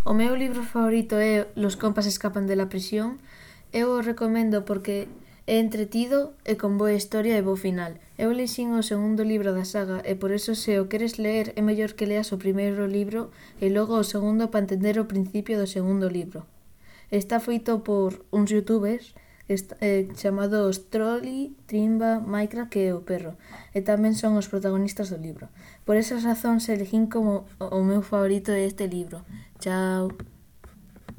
O meu libro favorito é Los compas escapan de la prisión. Eu o recomendo porque é entretido e con boa historia e bo final. Eu lexín o segundo libro da saga e por eso se o queres ler é mellor que leas o primeiro libro e logo o segundo para entender o principio do segundo libro. Está feito por uns youtubers chamados Trolli, Trimba, Minecraft e o perro, e tamén son os protagonistas do libro. Por esas razóns elegín como o meu favorito este libro. Chao.